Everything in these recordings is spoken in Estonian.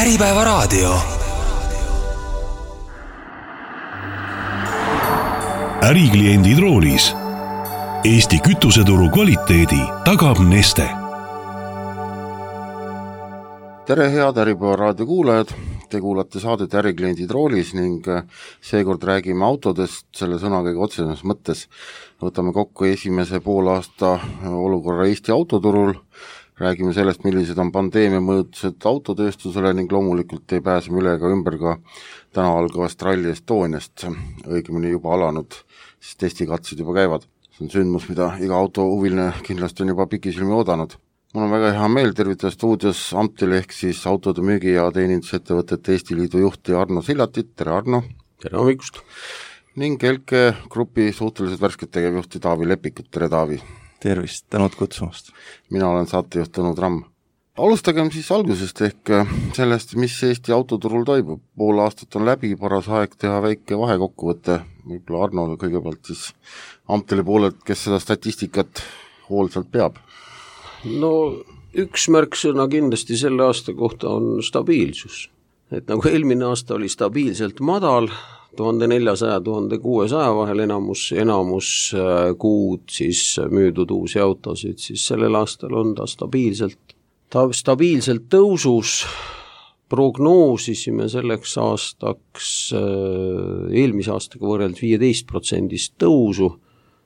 Äripäevaraadio. Ärikliendid roolis. Eesti kütuseturu kvaliteedi tagab Neste. Tere head Äripäevaraadio kuulajad, te kuulate saadet Ärikliendid roolis ning seekord räägime autodest selle sõnagagi otseses mõttes. Võtame kokku esimese poolaasta olukorra Eesti autoturul, räägime sellest, millised on pandeemia mõjutused autotööstusele ning loomulikult ei pääse üle ega ümber ka täna algavast Rally Estoniast, õigemini juba alanud, siis testikatsed juba käivad. See on sündmus, mida iga autohuviline kindlasti on juba pikisilmi oodanud. Mul on väga hea meel tervitada stuudios Amtil ehk siis autode müügi- ja teenindusettevõtete Eesti Liidu juhti Arno Sillatit. Tere Arno! Tere hommikust! Ning Elke Grupi suhteliselt värsket tegevjuhti Taavi Lepikut. Tere Taavi! Tervist, tänud kutsumast! Mina olen saatejuht Tõnu Tramm. Alustagem siis algusest ehk sellest, mis Eesti autoturul toimub. Pool aastat on läbi, paras aeg teha väike vahekokkuvõte. Võib-olla Arno kõigepealt siis Amtile poolelt, kes seda statistikat hoolsalt peab. No üks märksõna kindlasti selle aasta kohta on stabiilsus. Et nagu eelmine aasta oli stabiilselt madal, 1400–1600 vahel enamus kuud siis müüdud uusi autosid, siis sellel aastal on ta stabiilselt tõusus. Prognoosisime selleks aastaks eelmise aastaga võrreldes 15% tõusu.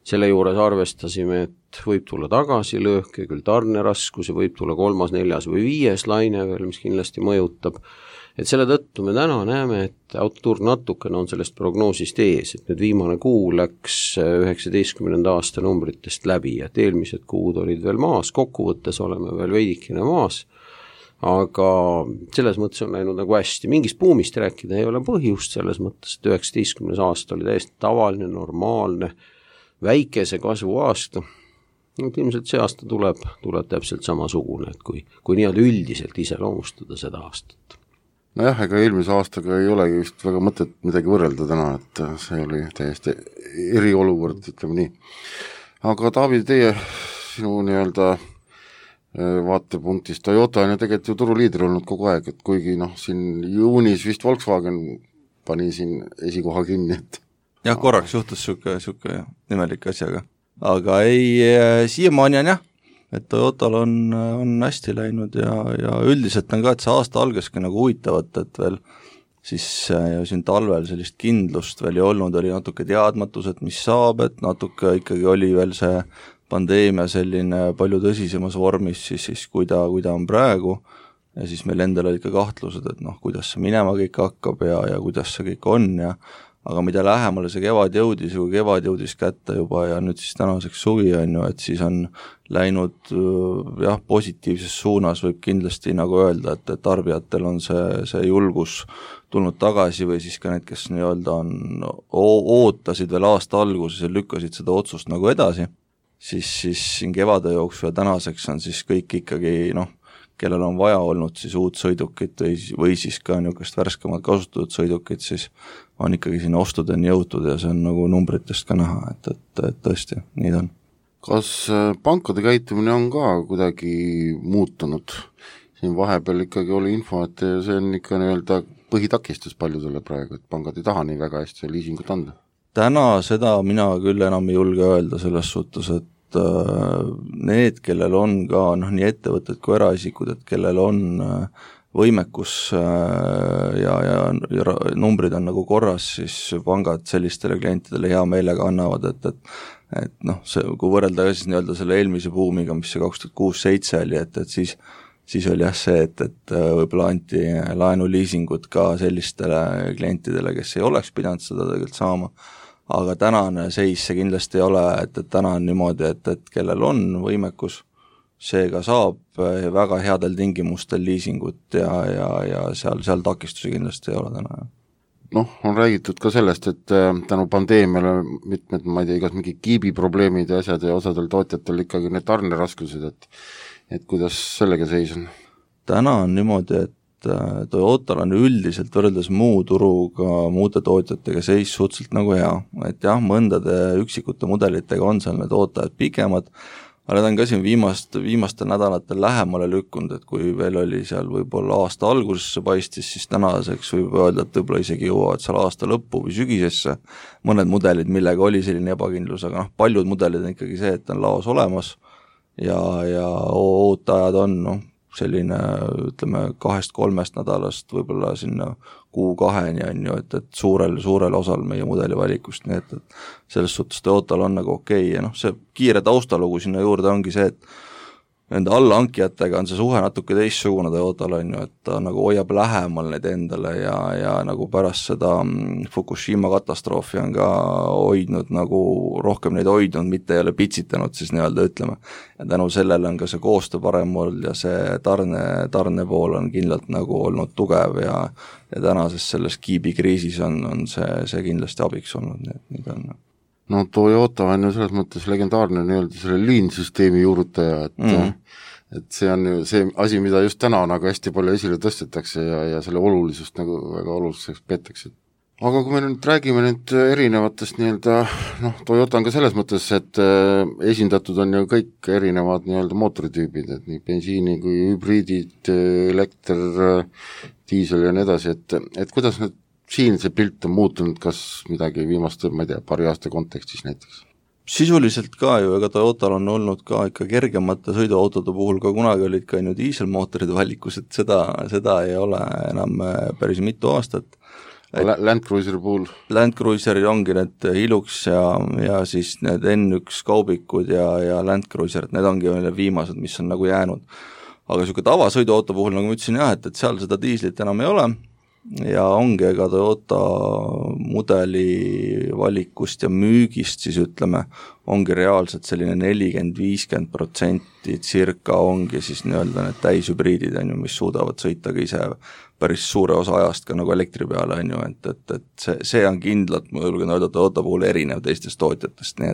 Selle juures arvestasime, et võib tulla tagasilöök ja küll tarneraskus ja võib tulla 3., 4. või 5. laine veel, mis kindlasti mõjutab. Et selle tõttu me täna näeme, et autoturg natukene on sellest prognoosist ees, et nüüd viimane kuu läks 19. aasta numbritest läbi, et eelmised kuud olid veel maas, kokkuvõttes oleme veel veidikene maas, aga selles mõttes on läinud nagu hästi. Mingist buumist rääkida ei ole põhjust selles mõttes, et 19. aasta oli täiesti tavaline, normaalne, väikese kasvu aasta. Ilmselt see aasta tuleb täpselt samasugune, et kui nii-öelda üldiselt iseloomustada seda aastat. Nojah, ega eelmise aastaga ei olegi vist väga mõtet midagi võrrelda täna, et see oli täiesti eriolukord, ütleme nii. Aga Taavi, sinu nii-öelda vaatepunktist Toyota on ju tegelikult ju turuliider olnud kogu aeg, et kuigi siin juunis vist Volkswagen pani siin esikoha kinni, et jah, korraks juhtus siuke nimelik asjaga. Aga siiamaani on jah, et Toyotal on hästi läinud ja üldiselt on ka, et see aasta algaski nagu huvitavat, et veel siis siin talvel sellist kindlust veel ei olnud, oli natuke teadmatus, et mis saab, et natuke ikkagi oli veel see pandeemia selline palju tõsisemas vormis, siis kui ta on praegu, ja siis meil endal olid ka kahtlused, et kuidas see minema kõik hakkab ja kuidas see kõik on aga mida lähemale see kevad jõudis kätte juba ja nüüd siis tänaseks suvi on ju, et siis on läinud positiivses suunas, võib kindlasti nagu öelda, et tarbijatel on see julgus tulnud tagasi või siis ka need, kes nii-öelda ootasid veel aasta alguses ja lükkasid seda otsust nagu edasi, siis siin kevade jooksul ja tänaseks on siis kõik ikkagi kellel on vaja olnud siis uut sõidukit või siis ka niisugust värskemat kasutatud sõidukit, siis on ikkagi siin ostudeni jõutud ja see on nagu numbritest ka näha, et tõesti, nii on. Kas pankade käitumine on ka kuidagi muutunud? Siin vahepeal ikkagi oli info, et see on ikka nii-öelda põhitakistus paljudele praegu, et pangad ei taha nii väga hästi liisingut anda. Täna seda mina küll enam ei julge öelda selles suhtes, et need, kellel on ka nii ettevõtted kui eraisikud, et kellel on võimekus ja numbrid on nagu korras, siis pangad sellistele klientidele hea meelega annavad, et kui võrrelda siis nii-öelda selle eelmise buumiga, mis see 2006-2007 oli, et siis oli see, et võib-olla anti laenuliisingut ka sellistele klientidele, kes ei oleks pidanud seda tegelikult saama. Aga tänane seis see kindlasti ei ole, et täna on niimoodi, et kellel on võimekus, seega saab väga headel tingimustel liisingut ja seal takistusi kindlasti ei ole täna. On räägitud ka sellest, et tänu pandeemiale mitmed, ma ei tea, igas mingi kiibiprobleemid ja asjad ja osadel tootjatel ikkagi need tarneraskused, et kuidas sellega seis on? Täna on niimoodi, et Toyotal on üldiselt võrreldes muu turuga, muude tootjatega seis suhteliselt nagu hea, et jah, mõndade üksikute mudelitega on seal need ootajad pikemad, aga need on ka siin viimastel nädalatel lähemale lükkunud, et kui veel oli seal võib-olla aasta algusesse paistis, siis tänaseks võib öelda, et võib-olla isegi jõuavad seal aasta lõppu või sügisesse mõned mudelid, millega oli selline ebakindlus, aga paljud mudelid on ikkagi see, et on laos olemas ja ooteajad on selline, ütleme, 2-3 nädalast võib-olla sinna kuu-2 on ju, et suurel osal meie mudeli valikust, nii et selles suhtes Toyotal on nagu okei ja see kiire taustalugu sinna juurde ongi see, et nende allahankijatega on see suhe natuke teistsugune Toyotal on ju, et ta nagu hoiab lähemal neid endale ja nagu pärast seda Fukushima katastroofi on ka hoidnud nagu rohkem neid hoidnud, mitte ei ole pitsitanud siis nii-öelda ütleme. Ja tänu sellele on ka see koostöö parem olnud ja see tarne pool on kindlalt nagu olnud tugev ja tänases selles kiibikriisis on see kindlasti abiks olnud, nii et nüüd on. No Toyota on ju selles mõttes legendaarne nii-öelda selle lean-süsteemi juurutaja, et see on ju see asi, mida just täna nagu hästi palju esile tõstetakse ja selle olulisust nagu väga oluliseks peetakse. Aga kui me nüüd räägime nüüd erinevatest nii-öelda, Toyota on ka selles mõttes, et esindatud on ju kõik erinevad nii-öelda mootoritüübid, et nii bensiini kui hübriidid, elekter, diisel ja nii edasi, et kuidas nüüd siin see pilt on muutunud, kas midagi viimaste, ma ei tea, paari aasta kontekstis näiteks? Sisuliselt ka ju, ega Toyotal on olnud ka ikka kergemate sõiduautode puhul ka kunagi olid ka ju diiselmootorid valikus, et seda ei ole enam päris mitu aastat. Land Cruiseri puhul? Land Cruiseri ongi need Hilux ja siis need N1 kaubikud ja Land Cruiser, need ongi viimased, mis on nagu jäänud. Aga selline tavasõiduauto puhul, nagu ma ütlesin jah, et seal seda diislit enam ei ole, ja ongi ega Toyota mudeli valikust ja müügist siis ütleme, ongi reaalselt selline 40-50% circa ongi siis nii-öelda need täishübriidid on ju, mis suudavad sõita ka ise päris suure osa ajast ka nagu elektri peale on ju, et see on kindlalt, ma julgen öelda Toyota puhul erinev teistest tootjatest, nii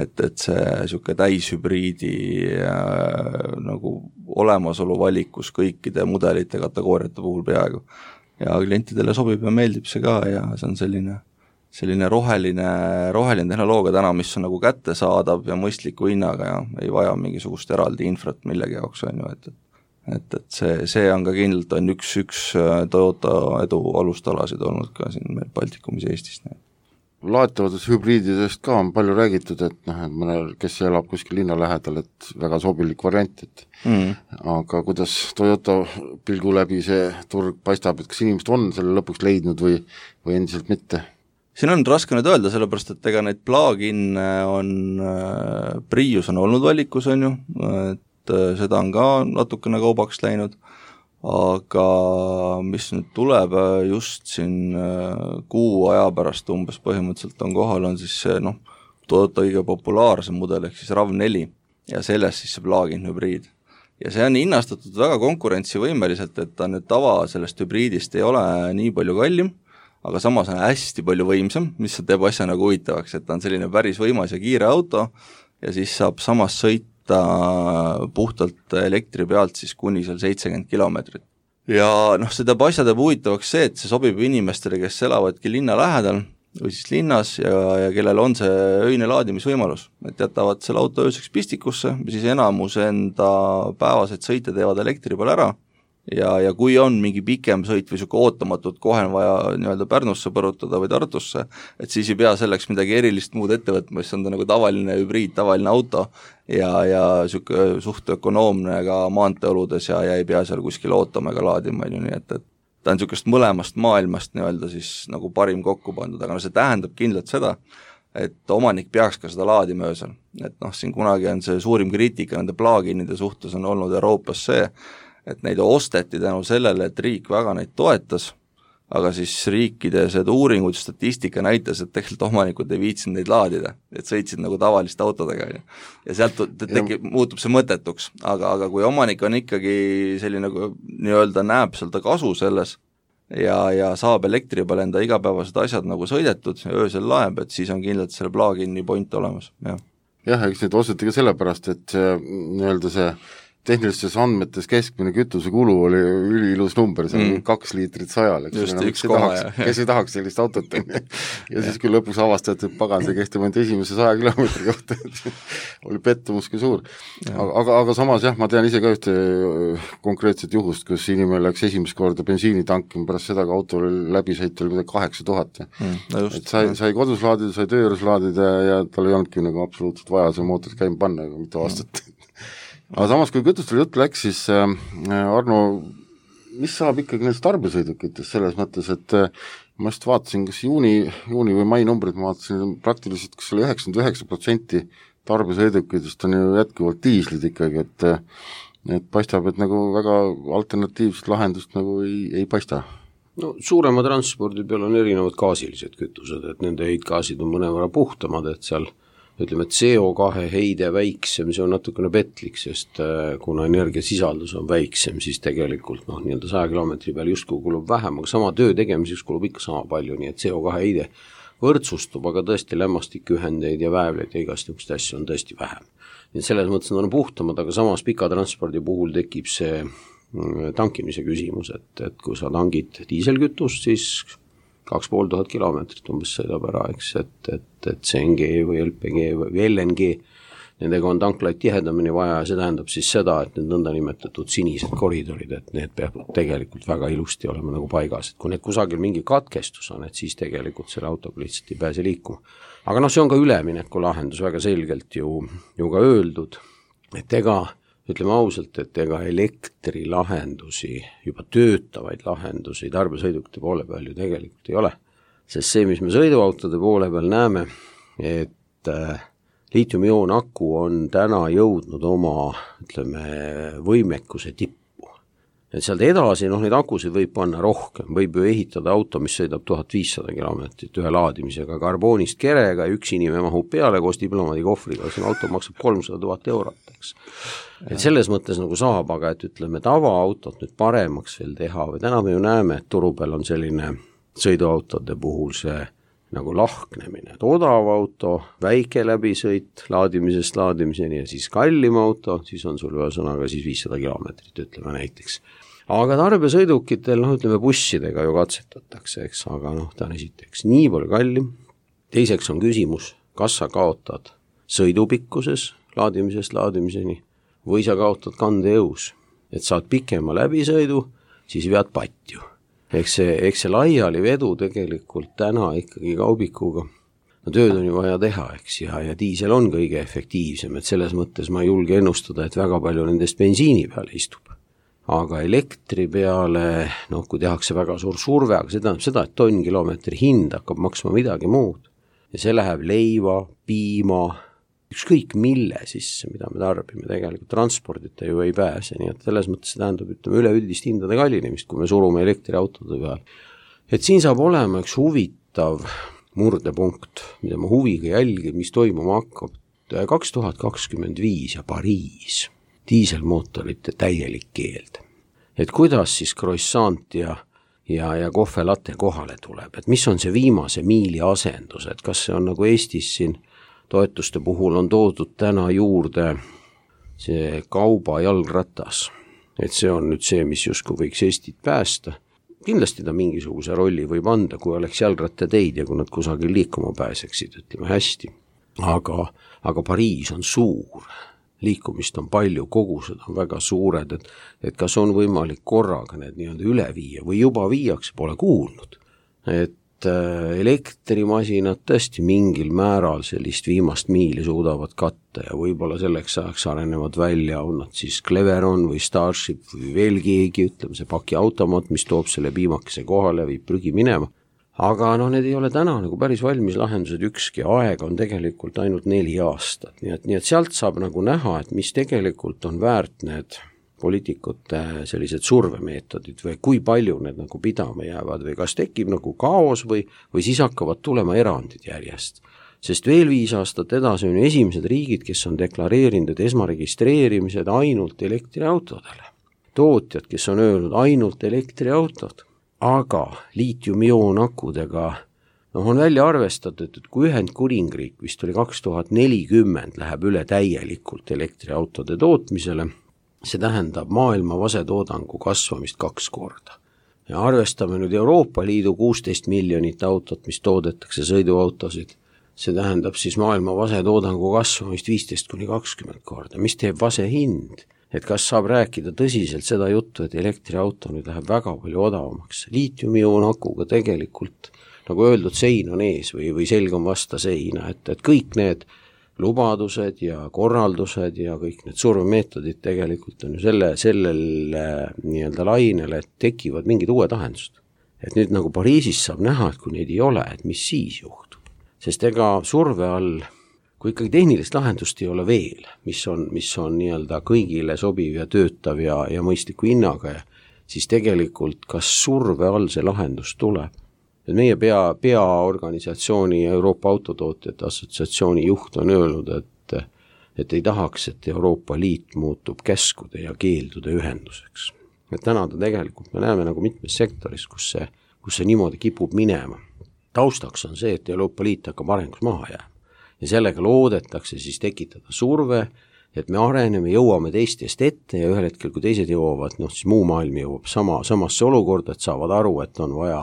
et see selline täishübriidi nagu olemasolu valikus kõikide mudelite kategooriate puhul peaaegu ja klientidele sobib ja meeldib see ka ja see on selline roheline tehnoloogia täna, mis on nagu kättesaadav ja mõistliku hinnaga ja ei vaja mingisugust eraldi infrat millegi jaoks on ju, et see on ka kindlalt on üks Toyota edu alustalasid olnud ka siin meil Baltikumis Eestis. Laetavatest hübriididest ka on palju räägitud, et mõnel, kes elab kuskil linna lähedal, et väga sobilik variant, et aga kuidas Toyota pilgu läbi see turg paistab, et kas inimesed on selle lõpuks leidnud või endiselt mitte? Siin on raske nüüd öelda, sellepärast, et ega neid plug-in on, Prius on olnud valikus, on ju, et seda on ka natukene kaubaks läinud, aga mis nüüd tuleb just siin kuu aja pärast umbes põhimõtteliselt on kohal, on siis see Toyota kõige populaarsem mudel ehk siis RAV4 ja sellest siis see plug-in hübriid. Ja see on hinnastatud väga konkurentsivõimeliselt, et ta nüüd tava sellest hübriidist ei ole nii palju kallim, aga samas on hästi palju võimsam, mis teeb asja nagu huvitavaks, et ta on selline päris võimas ja kiire auto ja siis saab samas sõita puhtalt elektri pealt siis kuni seal 70 kilomeetrit. Ja see teeb asja teeb huvitavaks see, et see sobib inimestele, kes elavadki linna lähedal või siis linnas ja kellel on see öine laadimisvõimalus, et jätavad selle auto ööseks pistikusse, siis enamus enda päevaseid sõite teevad elektri peal ära ja kui on mingi pikem sõit või selline ootamatult kohe on vaja nii-öelda Pärnusse põrutada või Tartusse, et siis ei pea selleks midagi erilist muud ette võtma, siis on ta nagu tavaline hübriid, tavaline auto ja selline suht ökonoomne ka maanteeoludes ja ei pea seal kuskil ootama ega laadima, nii et ta on sellisest mõlemast maailmast nii-öelda siis nagu parim kokku pandud, aga see tähendab kindlalt seda, et omanik peaks ka seda laadima öösel, et siin kunagi on see suurim kriitika nende plug-inide suhtes on olnud Euroopas see, et neid osteti tänu sellele, et riik väga neid toetas, aga siis riikide uuringud, statistika näitas, et tegelikult omanikud ei viitsinud neid laadida, et sõitsid nagu tavaliste autodega ja sealt muutub see mõttetuks, aga kui omanik on ikkagi selline nii-öelda näeb seal ta kasu selles ja saab elektri peal enda igapäevased asjad nagu sõidetud ja öösel laeb, et siis on kindlalt selle plug-in'i point olemas, jah. Jah, eks neid osteti ka sellepärast, et nii-öelda see tehnilistes andmetes keskmine kütusekulu oli üliilus number, see on 2 liitrit 100-l, kes ei tahaks sellist autot, ja siis küll lõpuks avastati, et pagan, see kehtib ainult esimese 100 kilomeetri kohta, oli pettumus kui suur. Aga samas jah, ma tean ise ka ühte konkreetset juhust, kus inimene läks esimest korda bensiini tankima, pärast seda, kui auto oli läbisõit, oli midagi 8000. Et sai kodus laadida, sai töö juures laadida ja tal ei olnudki nagu absoluutselt vaja see mootor käima panna, aga mitte aastat. Aga samas, kui kütustel jutt läks, siis Arno, mis saab ikkagi nendest tarbesõidukitest selles mõttes, et ma just vaatasin, kas juuni või mai numbrid, ma vaatasin praktiliselt, kas oli 99% tarbesõidukitest on ju jätkuvalt diislid ikkagi, et paistab, et nagu väga alternatiivset lahendust nagu ei paista. No suurema transpordi peal on erinevad gaasilised kütused, et nende heitgaasid on mõnevõrra puhtamad, et seal ütleme, et CO2 heide väiksem, see on natukene petlik, sest kuna energiasisaldus on väiksem, siis tegelikult nii-öelda 100 kilomeetri peal justkui kulub vähem, aga sama töö tegemiseks kulub ikka sama palju, nii et CO2 heide võrdsustub, aga tõesti lämmastikühendeid ja väävleid ja igast niisugust asju on tõesti vähem. Nii et selles mõttes on puhtamad, aga samas pika transpordi puhul tekib see tankimise küsimus, et kui sa tangid diiselkütust, siis 2500 kilomeetrit umbes sõidab ära, eks, et CNG või LPG või LNG, nendega on tanklaid tihedamini vaja ja see tähendab siis seda, et need nõndanimetatud sinised koridorid, et need peavad tegelikult väga ilusti olema nagu paigas, et kui need kusagil mingi katkestus on, et siis tegelikult selle autoga lihtsalt ei pääse liikuma. Aga see on ka ülemineku lahendus väga selgelt ju ka öeldud, et ütleme ausalt, et elektrilahendusi, juba töötavaid lahendusi tarbesõidukite poole peal ju tegelikult ei ole. Sest see, mis me sõiduautode poole peal näeme, et liitiumioon aku on täna jõudnud oma, ütleme, võimekuse tippu. Et sealt edasi, neid akusid võib panna rohkem, võib ju ehitada auto, mis sõidab 1500 kilomeetrit ühe laadimisega karboonist kerega ja üks inimene mahub peale koos diplomaadikohvriga, see auto maksab 300 000 eurot, eks. Et selles mõttes nagu saab, aga et ütleme tavaautot nüüd paremaks veel teha või täna me ju näeme, et turu peal on selline sõiduautode puhul see nagu lahknemine, et odav auto, väike läbisõit laadimisest laadimiseni ja siis kallim auto, siis on sul ühesõnaga siis 500 kilomeetrit, ütleme näiteks. Aga tarbesõidukitel, ütleme bussidega ju katsetatakse, eks, aga ta on esiteks nii palju kallim. Teiseks on küsimus, kas sa kaotad sõidupikkuses laadimisest laadimiseni või sa kaotad kandejõus, et saad pikema läbisõidu, siis vead patju. Eks see laiali vedu tegelikult täna ikkagi kaubikuga, tööd on ju vaja teha, eks, ja diisel on kõige efektiivsem, et selles mõttes ma ei julge ennustada, et väga palju nendest bensiini peale istub. Aga elektri peale, kui tehakse väga suur surve, aga see tähendab seda, et tonnkilomeetri hind hakkab maksma midagi muud. Ja see läheb leiva, piima, ükskõik mille sisse, mida me tarbime, tegelikult transpordita ju ei pääse, nii et selles mõttes see tähendab, ütleme, üleüldist hindade kallinemist, kui me surume elektriautode peal. Et siin saab olema üks huvitav murdepunkt, mida ma huviga jälgin, mis toimuma hakkab 2025 ja Pariis. Diiselmootorite täielik keeld. Et kuidas siis croissant ja kohvelatte kohale tuleb, et mis on see viimase miili asendus, et kas see on nagu Eestis siin toetuste puhul on toodud täna juurde see kauba jalgratas, et see on nüüd see, mis justkui võiks Eestit päästa. Kindlasti ta mingisuguse rolli võib anda, kui oleks jalgrattateid ja kui nad kusagil liikuma pääseksid, ütleme hästi. Aga Pariis on suur. Liikumist on palju, kogused on väga suured, et kas on võimalik korraga need nii-öelda üle viia või juba viiakse, pole kuulnud. Et elektrimasinad tõesti mingil määral sellist viimast miili suudavad katta ja võib-olla selleks ajaks arenevad välja, on nad siis Cleveron või Starship või veel keegi, ütleme see pakiautomaat, mis toob selle piimakese kohale, viib prügi minema. Aga need ei ole täna nagu päris valmis lahendused, ükski aeg on tegelikult ainult 4 aastat, nii et sealt saab nagu näha, et mis tegelikult on väärt need poliitikute sellised survemeetodid või kui palju need nagu pidama jäävad või kas tekib nagu kaos või siis hakkavad tulema erandid järjest. Sest veel 5 aastat edasi on esimesed riigid, kes on deklareerinud, et esmaregistreerimised ainult elektriautodele. Tootjad, kes on öelnud ainult elektriautod. Aga liitiumioon akudega on välja arvestatud, et kui Ühendkuningriik vist oli 2040 läheb üle täielikult elektriautode tootmisele, see tähendab maailma vasetoodangu kasvamist 2 korda. Ja arvestame nüüd Euroopa Liidu 16 miljonit autot, mis toodetakse sõiduautosid, see tähendab siis maailma vasetoodangu kasvamist 15-20 korda, mis teeb vase hind, et kas saab rääkida tõsiselt seda juttu, et elektriauto nüüd läheb väga palju odavamaks. Liitiumi-ioon akuga tegelikult, nagu öeldud, sein on ees või selg on vasta seina, et kõik need lubadused ja korraldused ja kõik need survemeetodid tegelikult on ju sellel nii-öelda lainele, et tekivad mingid uued lahendused. Et nüüd nagu Pariisis saab näha, et kui neid ei ole, et mis siis juhtub. Sest ega surve all, kui ikkagi tehnilist lahendust ei ole veel, mis on nii-öelda kõigile sobiv ja töötav ja mõistliku hinnaga, siis tegelikult kas surve all see lahendus tuleb. Et meie peaorganisatsiooni Euroopa Autotootjate Assotsiatsiooni juht on öelnud, et ei tahaks, et Euroopa Liit muutub käskude ja keeldude ühenduseks. Et täna ta tegelikult me näeme nagu mitmes sektoris, kus see niimoodi kipub minema. Taustaks on see, et Euroopa Liit hakkab arengus maha jääma ja sellega loodetakse siis tekitada surve, et me areneme, jõuame teistest ette ja ühel hetkel, kui teised jõuavad, siis muu maailm jõuab samasse olukorda, et saavad aru, et on vaja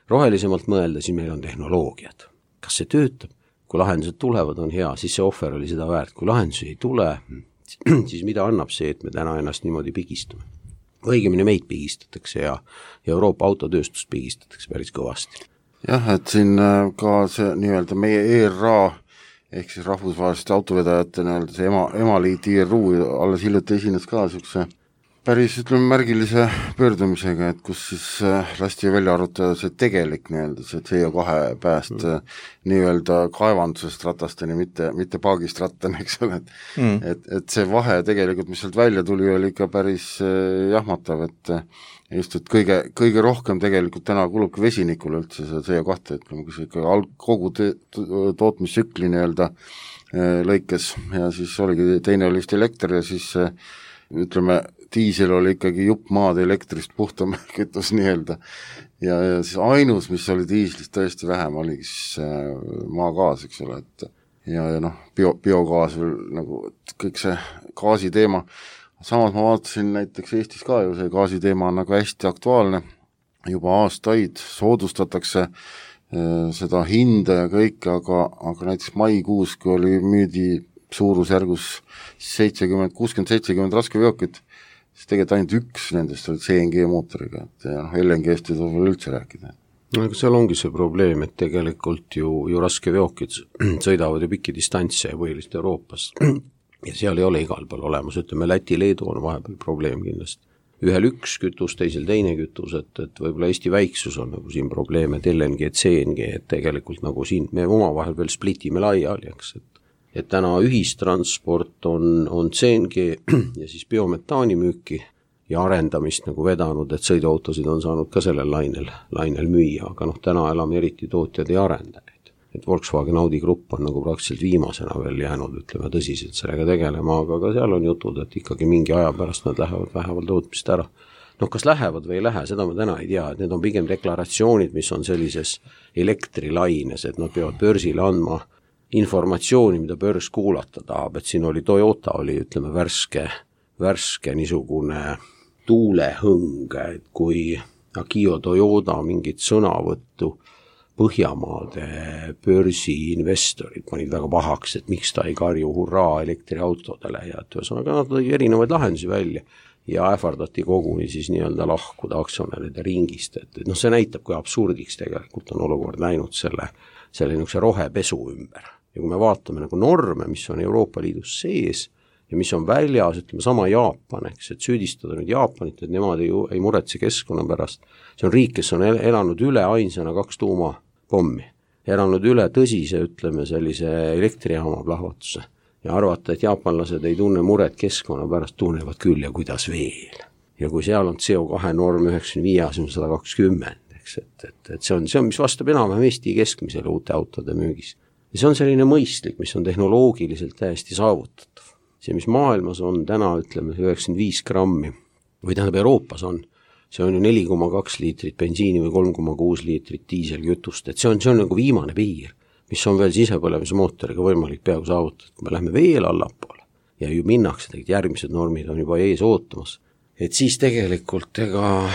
rohelisemalt mõelda, siis meil on tehnoloogiad. Kas see töötab? Kui lahendused tulevad, on hea, siis see ohver oli seda väärt. Kui lahendusi ei tule, siis mida annab see, et me täna ennast niimoodi pigistume? Õigemini meid pigistatakse ja Euroopa autotööstust pigistatakse päris kõvasti. Jah, et siin ka see nii-öelda meie ERA ehk siis rahvusvaheliste autovedajate nii-öelda see emaliit IRU alles hiljuti esines ka niisuguse päris, märgilise pöördumisega, et kus siis lasti välja arutada see tegelik nii-öelda see CO2 pääst nii-öelda kaevandusest ratasteni, mitte paagist rattani, eks ole, et see vahe tegelikult, mis sealt välja tuli, oli ikka päris jahmatav, et just, et kõige rohkem tegelikult täna kulubki vesinikule üldse see CO2, et kui ikka kogu tootmissükli nii-öelda lõikes ja siis oligi, teine oli vist elekter ja siis ütleme, diisel oli ikkagi jupp maad elektrist puhtam kütus nii-öelda ja siis ainus, mis oli diislist tõesti vähem, oligi siis maagaas, eks ole, et ja biogaas veel nagu kõik see gaasi teema. Samas ma vaatasin näiteks Eestis ka ju see gaasi teema on nagu hästi aktuaalne, juba aastaid soodustatakse seda hinda ja kõik, aga näiteks maikuus, kui oli müüdi suurusjärgus 60-70 raskeveokit, siis tegelikult ainult üks nendest olid CNG mootoriga, et LNG-st ei tule veel üldse rääkida. Aga seal ongi see probleem, et tegelikult ju raskeveokid sõidavad ju pikki distantse põhiliselt Euroopas ja seal ei ole igal pool olemas, ütleme Läti-Leedu on vahepeal probleem kindlasti. Ühel üks kütus, teisel teine kütus, et võib-olla Eesti väiksus on nagu siin probleem, et LNG, CNG, et tegelikult nagu siin me omavahel veel splitime laiali, eks, et täna ühistransport on CNG ja siis biometaani müüki ja arendamist nagu vedanud, et sõiduautosid on saanud ka sellel lainel müüa, aga täna elame eriti tootjad ei arenda neid. Et Volkswagen Audi grupp on nagu praktiliselt viimasena veel jäänud, ütleme tõsiselt sellega tegelema, aga seal on jutud, et ikkagi mingi aja pärast nad lähevad tootmist ära. Kas lähevad või ei lähe, seda ma täna ei tea, et need on pigem deklaratsioonid, mis on sellises elektrilaines, et nad peavad börsile andma informatsiooni, mida börs kuulata tahab, et siin oli Toyota, ütleme värske niisugune tuulehõng, et kui Akio Toyota mingit sõnavõttu Põhjamaade börsiinvestorid panid väga pahaks, et miks ta ei karju hurraa elektriautodele ja et ühesõnaga nad tõi erinevaid lahendusi välja ja ähvardati koguni siis nii-öelda lahkuda aktsionäride ringist, et see näitab, kui absurdiks tegelikult on olukord läinud selle niisuguse rohepesu ümber. Ja kui me vaatame nagu norme, mis on Euroopa Liidus sees ja mis on väljas, ütleme sama Jaapan, eks, et süüdistada nüüd Jaapanit, et nemad ei muretse keskkonna pärast. See on riik, kes on elanud üle ainsana 2 tuumapommi, elanud üle tõsise, ütleme sellise elektrijaama plahvatuse ja arvata, et jaapanlased ei tunne muret keskkonna pärast, tunnevad küll ja kuidas veel. Ja kui seal on CO2 norm 95, 120, eks, et see on, mis vastab enam-vähem Eesti keskmisele uute autode müügis. Ja see on selline mõistlik, mis on tehnoloogiliselt täiesti saavutatav. See, mis maailmas on täna, ütleme, 95 grammi, või tähendab Euroopas on, see on ju 4,2 liitrit bensiini või 3,6 liitrit diiselkütust, et see on nagu viimane piir, mis on veel sisepõlemise mootoriga võimalik peaaegu saavutada, kui me lähme veel allapoole. ja ju minnakse, tegelikult järgmised normid on juba ees ootamas. Et siis tegelikult ega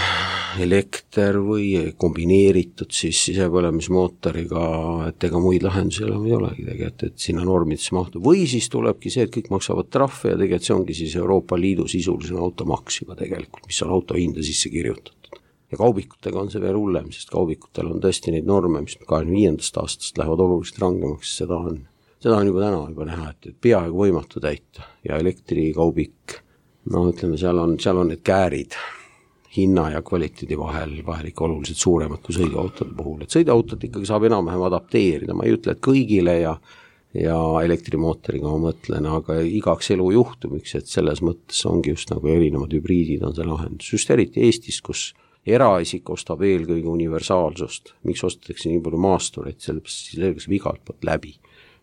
elekter või kombineeritud siis sisepõlemismootoriga, et ega muid lahendusi enam ei olegi tegelikult, et sinna normidesse mahtu. Või siis tulebki see, et kõik maksavad trahve ja tegelikult see ongi siis Euroopa Liidu sisulisena automaks juba tegelikult, mis on auto hinda sisse kirjutatud. Ja kaubikutega on see veel hullem, sest kaubikutel on tõesti neid norme, mis 25. aastast lähevad oluliselt rangemaks, seda on juba täna juba näha, et peaaegu võimatu täita ja elektrikaubik, no ütleme, seal on need käärid hinna ja kvaliteedi vahel ikka oluliselt suuremad kui sõiduautode puhul, et sõiduautot ikkagi saab enam-vähem adapteerida, ma ei ütle, et kõigile ja elektrimootoriga ma mõtlen, aga igaks elu juhtumiks, et selles mõttes ongi just nagu erinevad hübriidid on see lahendus, just eriti Eestis, kus eraisik ostab eelkõige universaalsust, miks ostetakse nii palju maastureid, sellepärast saab igalt poolt läbi.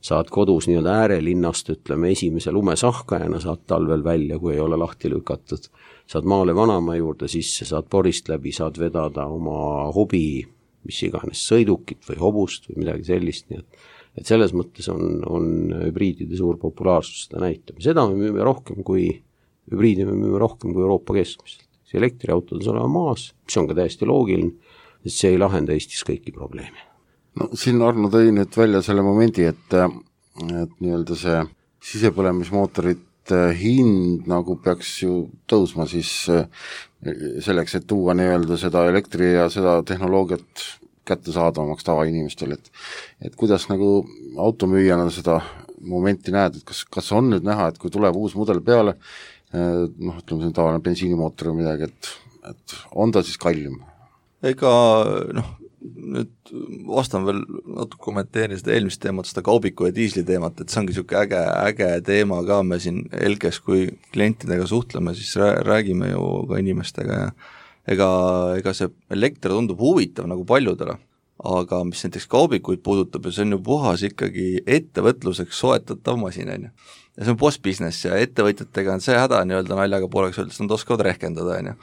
Saad kodus nii-öelda äärelinnast, ütleme, esimese lumesahkajana saad talvel välja, kui ei ole lahti lükatud. Saad maale vanaema juurde sisse, saad porist läbi, saad vedada oma hobi, mis iganes sõidukit või hobust või midagi sellist. Nii et selles mõttes on hübriidide suur populaarsus seda näitab. Seda me müüme rohkem kui Euroopa keskmiselt. See elektriautod on olema maas, mis on ka täiesti loogiline, et see ei lahenda Eestis kõiki probleeme. No siin Arno tõi nüüd välja selle momendi, et nii-öelda see sisepõlemismootorite hind nagu peaks ju tõusma siis selleks, et tuua nii-öelda seda elektri ja seda tehnoloogiat kättesaadavamaks tavainimestel, et kuidas nagu automüüjana seda momenti näed, et kas on nüüd näha, et kui tuleb uus mudel peale, ütleme see tavaline bensiinimootor või midagi, et on ta siis kallim? Ega nüüd vastan veel natuke kommenteerin seda eelmist teemat, seda kaubiku ja diisli teemat, et see ongi niisugune äge teema ka, me siin Elkes, kui klientidega suhtleme, siis räägime ju ka inimestega ja ega see elekter tundub huvitav nagu paljudele, aga mis näiteks kaubikuid puudutab ja see on ju puhas ikkagi ettevõtluseks soetatav masin, on ju. Ja see on post-business ja ettevõtjatega on see häda nii-öelda naljaga pooleks öeldes, nad oskavad rehkendada, on ju.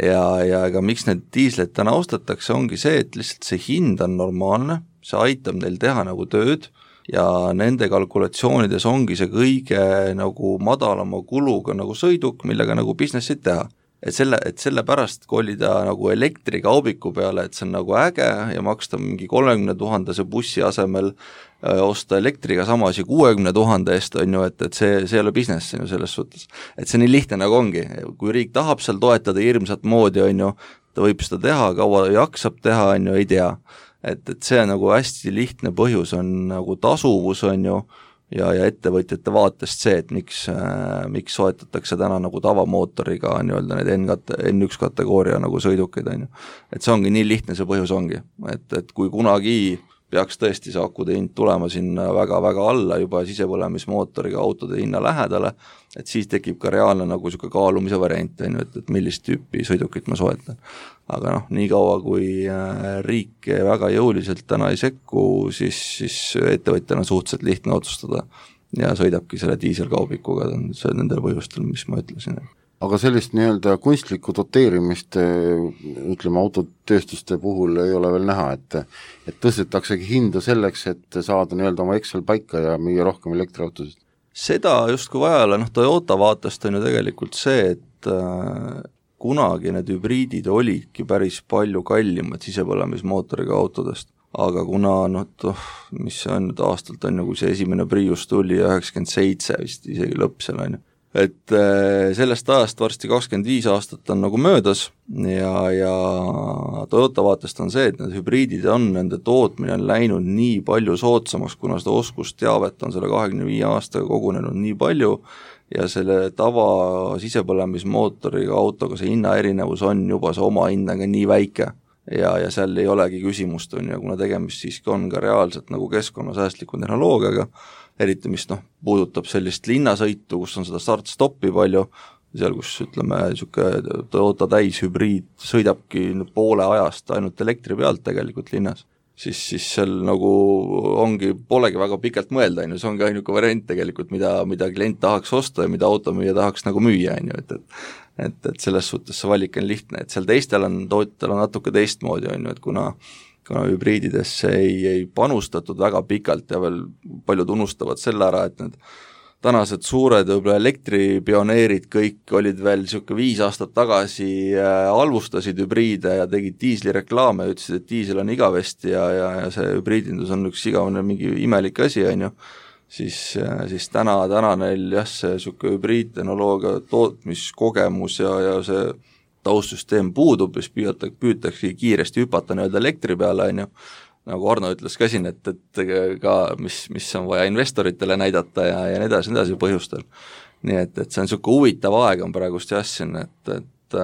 Ja ega miks need diisleid täna ostetakse, ongi see, et lihtsalt see hind on normaalne, see aitab neil teha nagu tööd ja nende kalkulatsioonides ongi see kõige nagu madalama kuluga nagu sõiduk, millega nagu businessit teha. Et selle pärast kolida nagu elektrikaubiku peale, et see on nagu äge ja maksta mingi 30 000 bussi asemel osta elektriga sama asi 60 000 eest, on ju, et see ei ole business on ju selles suhtes. Et see nii lihtne nagu ongi, kui riik tahab seal toetada hirmsat moodi, on ju, ta võib seda teha, kaua jaksab teha, on ju, ei tea. Et see on nagu hästi lihtne põhjus, on nagu tasuvus, on ju, ja ettevõtjate vaatest see, et miks soetatakse täna nagu tavamootoriga nii-öelda need N1 kategooria nagu sõidukid, on ju. Et see ongi nii lihtne, see põhjus ongi, et kui kunagi peaks tõesti see akude hind tulema sinna väga-väga alla juba sisepõlemismootoriga autode hinna lähedale, et siis tekib ka reaalne nagu niisugune kaalumise variant, et millist tüüpi sõidukit ma soetan. Aga nii kaua kui riik väga jõuliselt täna ei sekku, siis ettevõtjana on suhteliselt lihtne otsustada ja sõidabki selle diiselkaubikuga nendel põhjustel, mis ma ütlesin. Aga sellist nii-öelda kunstlikku doteerimist, ütleme, autotööstuste puhul ei ole veel näha, et tõstetaksegi hinda selleks, et saada nii-öelda oma Excel paika ja müüa rohkem elektriautosid? Seda just kui vaja ole, Toyota vaatest on ju tegelikult see, et kunagi need hübriidid olidki päris palju kallimad sisepõlemismootoriga autodest, aga kuna mis see on nüüd aastalt on ju, kui see esimene Prius tuli 97 vist isegi lõpp seal on ju, et sellest ajast varsti 25 aastat on nagu möödas ja Toyota vaatest on see, et need hübriidid nende tootmine on läinud nii palju soodsamaks, kuna seda oskusteavet on selle 25 aastaga kogunenud nii palju ja selle tava sisepõlemismootoriga autoga see hinna erinevus on juba see oma hinnaga nii väike ja seal ei olegi küsimust, kuna tegemist siiski on ka reaalselt nagu keskkonnasäästliku tehnoloogiaga, eriti mis puudutab sellist linnasõitu, kus on seda start-stoppi palju, seal kus ütleme, Toyota täishübriid sõidabki poole ajast ainult elektri pealt tegelikult linnas, siis seal nagu polegi väga pikalt mõelda, see ongi ainuke variant tegelikult, mida klient tahaks osta ja mida automüüja tahaks nagu müüa, et selles suhtes see valik on lihtne, et seal teistel on natuke teistmoodi, et kuna hübriididesse ei panustatud väga pikalt ja veel paljud unustavad selle ära, et need tänased suured võib-olla elektripioneerid kõik olid veel niisugune 5 aastat tagasi halvustasid hübriide ja tegid diislireklaame ja ütlesid, et diisel on igavesti ja see hübriidindus on üks igavene mingi imelik asi, on ju, siis täna neil jah, see niisugune hübriidtehnoloogia tootmiskogemus ja see taustsüsteem puudub, siis püütakse kiiresti hüpata nii-öelda elektri peale, on ju, nagu Arno ütles ka siin, et ka mis on vaja investoritele näidata ja nii edasi põhjustel. Nii et see on niisugune huvitav aeg on praegust jah siin, et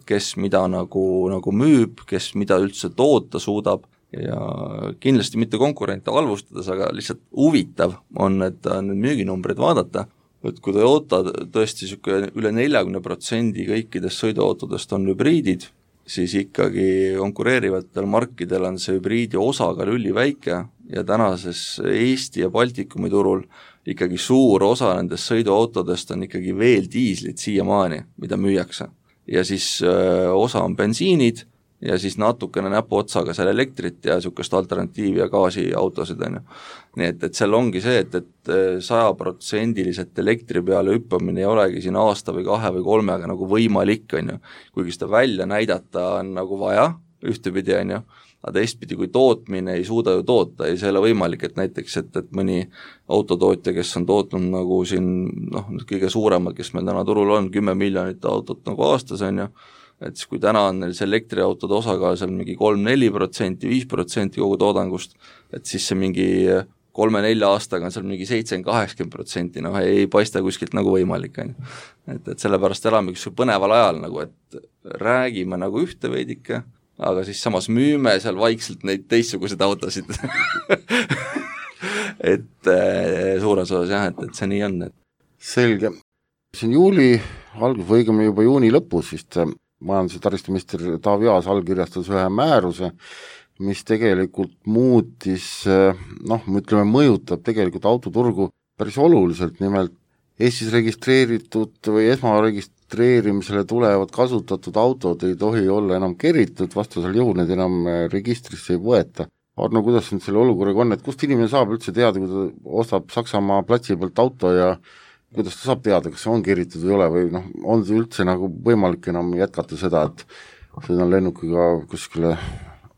kes mida nagu müüb, kes mida üldse toota suudab ja kindlasti mitte konkurente halvustades, aga lihtsalt huvitav on need müüginumbrid vaadata, et kui Toyota tõesti niisugune üle 40% kõikidest sõiduautodest on hübriidid, siis ikkagi konkureerivatel markidel on see hübriidi osakaal üliväike ja tänases Eesti ja Baltikumi turul ikkagi suur osa nendest sõiduautodest on ikkagi veel diislid siiamaani, mida müüakse. Ja siis osa on bensiinid ja siis natukene näpuotsaga seal elektrit ja niisugust alternatiivi ja gaasiautosid on ju. Nii et seal ongi see, et 100% elektri peale hüppamine ei olegi siin aasta või 2 või 3 nagu võimalik on ju, kuigi seda välja näidata on nagu vaja ühtepidi on ju, aga teistpidi kui tootmine ei suuda ju toota, ei see ole võimalik, et näiteks, et mõni autotootja, kes on tootnud nagu siin kõige suuremad, kes meil täna turul on, 10 miljonit autot nagu aastas on ju, et siis kui täna on neil see elektriautode osakaal seal mingi 3-4%, 5% kogu toodangust, et siis see mingi 3-4 aastaga on seal mingi 70-80%, ei paista kuskilt nagu võimalik, on ju. Et sellepärast elame üks põneval ajal nagu, et räägime nagu ühte veidike, aga siis samas müüme seal vaikselt neid teistsuguseid autosid. et suures osas jah, et see nii on. Selge. Siin juuli algus või õigemini juba juuni lõpus, siis majandus- ja taristuminister Taavi Aas allkirjastas ühe määruse, mis tegelikult muutis, mõjutab tegelikult autoturgu päris oluliselt, nimelt Eestis registreeritud või esmaregistreerimisele tulevad kasutatud autod ei tohi olla enam keritud, vastasel juhul need enam registrisse ei võeta. Arno, kuidas on selle olukorraga on, et kust inimene saab üldse teada, kui ta ostab Saksamaa platsi pealt auto ja kuidas ta saab teada, kas see on keritud või ei ole või on see üldse nagu võimalik enam jätkata seda, et sõidan lennukiga kuskile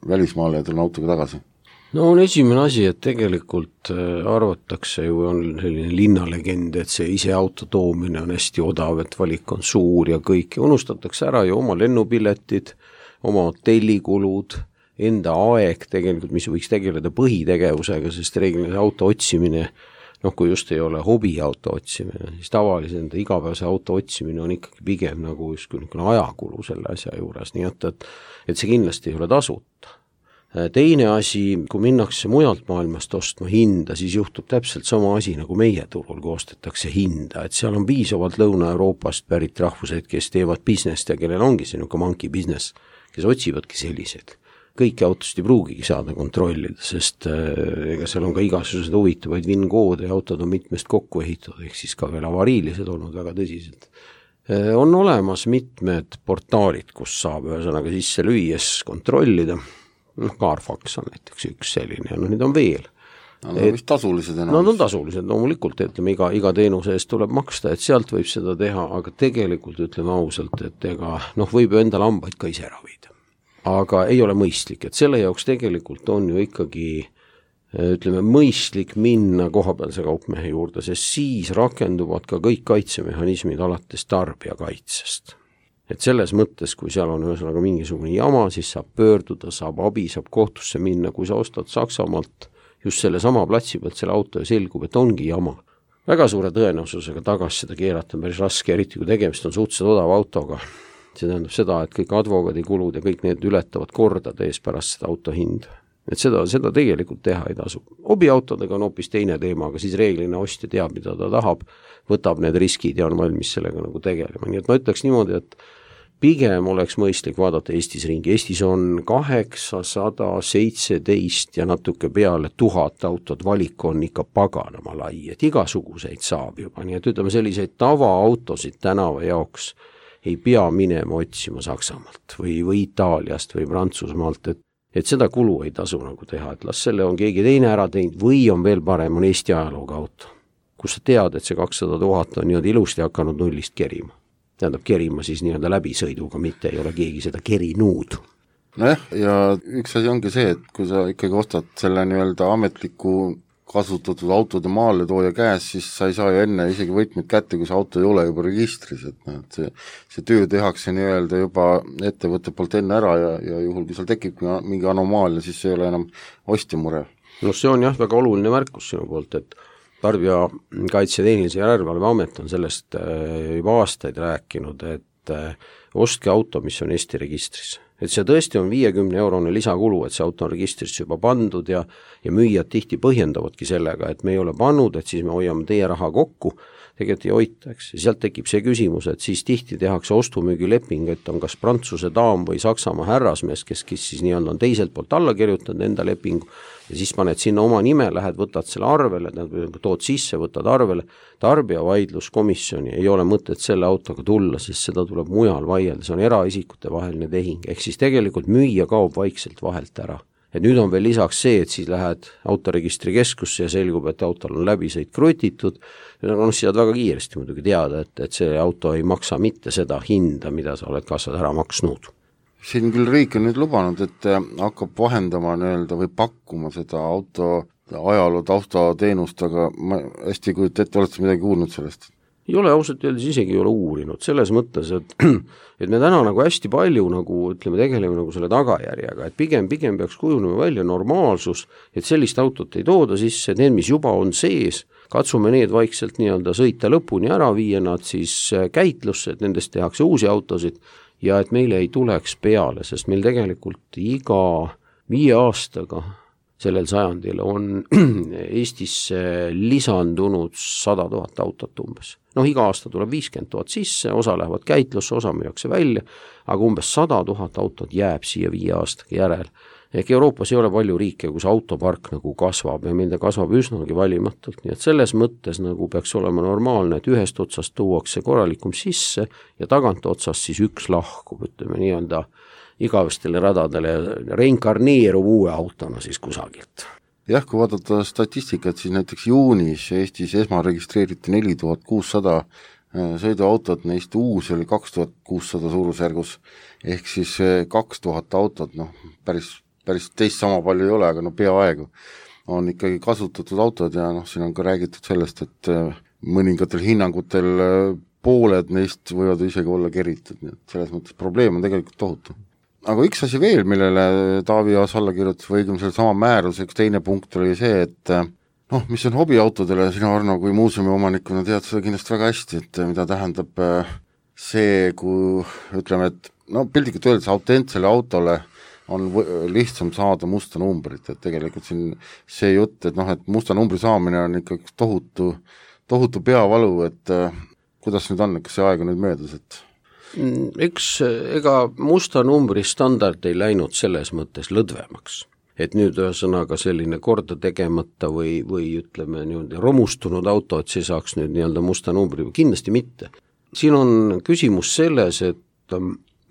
välismaale ja tulen autoga tagasi? No on esimene asi, et tegelikult arvatakse ju on selline linnalegend, et see ise auto toomine on hästi odav, et valik on suur ja kõik, unustatakse ära ju oma lennupiletid, oma hotellikulud, enda aeg tegelikult, mis võiks tegeleda põhitegevusega, sest reeglina auto otsimine, kui just ei ole hobiauto otsimine, siis tavalise enda igapäevase auto otsimine on ikkagi pigem nagu ajakulu selle asja juures, nii et see kindlasti ei ole tasuta. Teine asi, kui minnakse mujalt maailmast ostma hinda, siis juhtub täpselt sama asi nagu meie turul, kui ostetakse hinda, et seal on piisavalt Lõuna-Euroopast pärit rahvused, kes teevad business ja kellel ongi see monkey business, kes otsivadki sellised. Kõiki autosid ei pruugigi saada kontrollida, sest ega seal on ka igasugused huvitavaid VIN-koode ja autod on mitmest kokku ehitatud, ehk siis ka veel avariilised olnud väga tõsiselt. On olemas mitmed portaalid, kus saab ühesõnaga sisse lüües kontrollida, Carfax on näiteks üks selline ja need on veel. Nad on vist tasulised enam. Nad on tasulised, loomulikult, ütleme, iga teenuse eest tuleb maksta, et sealt võib seda teha, aga tegelikult ütleme ausalt, et ega võib ju enda lambaid ka ise ravida. Aga ei ole mõistlik, et selle jaoks tegelikult on ju ikkagi, ütleme, mõistlik minna kohapealse kaupmehe juurde, sest siis rakenduvad ka kõik kaitsemehhanismid alates tarbijakaitsest. Et selles mõttes, kui seal on ühesõnaga mingisugune jama, siis saab pöörduda, saab abi, saab kohtusse minna, kui sa ostad Saksamaalt just selle sama platsi pealt selle auto ja selgub, et ongi jama. Väga suure tõenäosusega tagasi seda keerata on päris raske, eriti kui tegemist on suhteliselt odava autoga. See tähendab seda, et kõik advokaadikulud ja kõik need ületavad kordade ees pärast seda auto hinda. Et seda tegelikult teha ei tasu. Hobiautodega on hoopis teine teema, aga siis reeglina ostja teab, mida ta tahab, võtab need riskid ja on valmis sellega nagu tegelema. Nii et ma ütleks niimoodi, et pigem oleks mõistlik vaadata Eestis ringi. Eestis on 817 ja natuke peale 1000 autod, valik on ikka paganama lai, et igasuguseid saab juba. Nii et ütleme selliseid tavaautosid tänava jaoks ei pea minema otsima Saksamaalt või Itaaliast või Prantsusmaalt, et seda kulu ei tasu nagu teha, et las selle on keegi teine ära teinud või on veel parem, on Eesti ajalooga auto. kus sa tead, et see 200 000 on niimoodi ilusti hakanud nullist kerima. Tähendab kerima siis nii-öelda läbisõiduga, mitte ei ole keegi seda kerinud. Nojah, ja üks asi ongi see, et kui sa ikkagi ostad selle nii-öelda ametliku kasutatud autode maale tooja käes, siis sa ei saa ju enne isegi võtmeid kätte, kui see auto ei ole juba registris, et see töö tehakse nii-öelda juba ettevõtte poolt enne ära ja juhul, kui seal tekib mingi anomaalia, siis see ei ole enam ostja mure. No see on jah väga oluline märkus sinu poolt, et Tarbijakaitse ja Tehnilise Järelevalve Amet on sellest juba aastaid rääkinud, et ostke auto, mis on Eesti registris. Et see tõesti on 50 € lisakulu, et see auto on registrisse juba pandud ja müüjad tihti põhjendavadki sellega, et me ei ole pannud, et siis me hoiame teie raha kokku, tegelikult ei hoita, eks. Ja sealt tekib see küsimus, et siis tihti tehakse ostumüügileping, et on kas Prantsuse daam või Saksamaa härrasmees, kes siis nii-öelda on teiselt poolt alla kirjutanud enda lepingu ja siis paned sinna oma nime, lähed, võtad selle arvele, tood sisse, võtad arvele, tarbijavaidluskomisjoni ei ole mõtet selle autoga tulla, sest seda tuleb mujal vaielda, see on eraisikute vaheline tehing, ehk siis tegelikult müüja kaob vaikselt vahelt ära. Et nüüd on veel lisaks see, et siis lähed autoregistrikeskusse ja selgub, et autol on läbisõit krutitud, ja siis saad väga kiiresti muidugi teada, et see auto ei maksa mitte seda hinda, mida sa oled kassad ära maksnud. Siin küll riik on nüüd lubanud, et hakkab vahendama nii-öelda või pakkuma seda auto ajaloo taustateenust, aga ma hästi ei kujuta ette, olete midagi kuulnud sellest? Ei ole, ausalt öeldes isegi ei ole uurinud, selles mõttes, et me täna nagu hästi palju nagu, ütleme, tegeleme nagu selle tagajärjega, et pigem peaks kujunema välja normaalsus, et sellist autot ei tooda sisse, need, mis juba on sees, katsume need vaikselt nii-öelda sõita lõpuni ära, viia nad siis käitlusse, et nendest tehakse uusi autosid ja et meile ei tuleks peale, sest meil tegelikult iga 5 aastaga sellel sajandil on Eestisse lisandunud 100 000 autot umbes. Iga aasta tuleb 50 000 sisse, osa lähevad käitlusse, osa müüakse välja, aga umbes 100 000 autot jääb siia 5 aastaga järel. Ehk Euroopas ei ole palju riike, kus autopark nagu kasvab ja meil ta kasvab üsnagi valimatult, nii et selles mõttes nagu peaks olema normaalne, et ühest otsast tuuakse korralikum sisse ja tagant otsast siis üks lahkub, ütleme nii-öelda igavestele radadele reinkarneerub uue autona siis kusagilt. Jah, kui vaadata statistikat, siis näiteks juunis Eestis esmaregistreeriti 4600 sõiduautot, neist uus oli 2600 suurusjärgus, ehk siis 2000 autot, päris teist sama palju ei ole, aga peaaegu on ikkagi kasutatud autod ja siin on ka räägitud sellest, et mõningatel hinnangutel pooled neist võivad isegi olla keritud, nii et selles mõttes probleem on tegelikult tohutu. Aga üks asi veel, millele Taavi Aas alla kirjutas, või õigem selle sama määrus, üks teine punkt oli see, et mis on hobiautodele, sina Arno kui muuseumi omanikuna tead seda kindlasti väga hästi, et mida tähendab see, kui ütleme, et piltlikult öeldes autentsele autole on lihtsam saada musta numbrit, et tegelikult siin see jutt, et musta numbri saamine on ikka tohutu peavalu, et kuidas nüüd on, kas see aeg on nüüd möödas, et ega musta numbri standard ei läinud selles mõttes lõdvemaks, et nüüd ühesõnaga selline korda tegemata või ütleme niimoodi romustunud auto, et see saaks nüüd nii-öelda musta numbri, kindlasti mitte. Siin on küsimus selles, et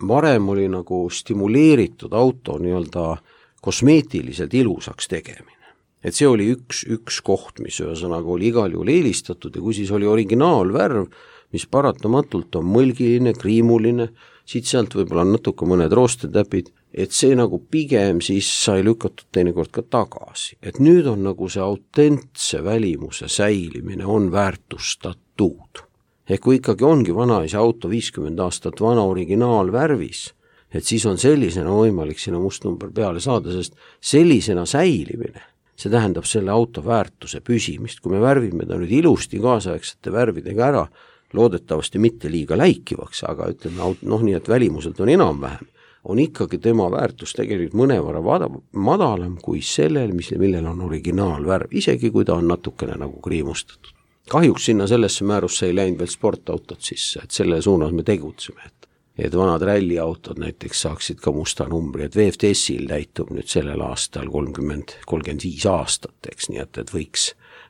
varem oli nagu stimuleeritud auto nii-öelda kosmeetiliselt ilusaks tegemine. Et see oli üks koht, mis ühesõnaga oli igal juhul eelistatud ja kui siis oli originaalvärv, mis paratamatult on mõlgiline, kriimuline, siit-sealt võib-olla natuke mõned roostetäpid, et see nagu pigem siis sai lükatud teinekord ka tagasi. Et nüüd on nagu see autentse välimuse säilimine on väärtustatud. Ehk kui ikkagi ongi vanaisa auto 50 aastat vana originaalvärvis, et siis on sellisena võimalik sinna mustnumber peale saada, sest sellisena säilimine, see tähendab selle auto väärtuse püsimist. Kui me värvime ta nüüd ilusti kaasaegsete värvidega ära, loodetavasti mitte liiga läikivaks, aga ütleme, nii et välimuselt on enam-vähem, on ikkagi tema väärtus tegelikult mõnevõrra madalam kui sellel, millel on originaalvärv, isegi kui ta on natukene nagu kriimustatud. Kahjuks sinna sellesse määrusse ei läinud veel sportautod sisse, et selle suunas me tegutseme, et vanad ralliautod näiteks saaksid ka musta numbri, et VFTS-il täitub nüüd sellel aastal 35 aastat, eks nii, et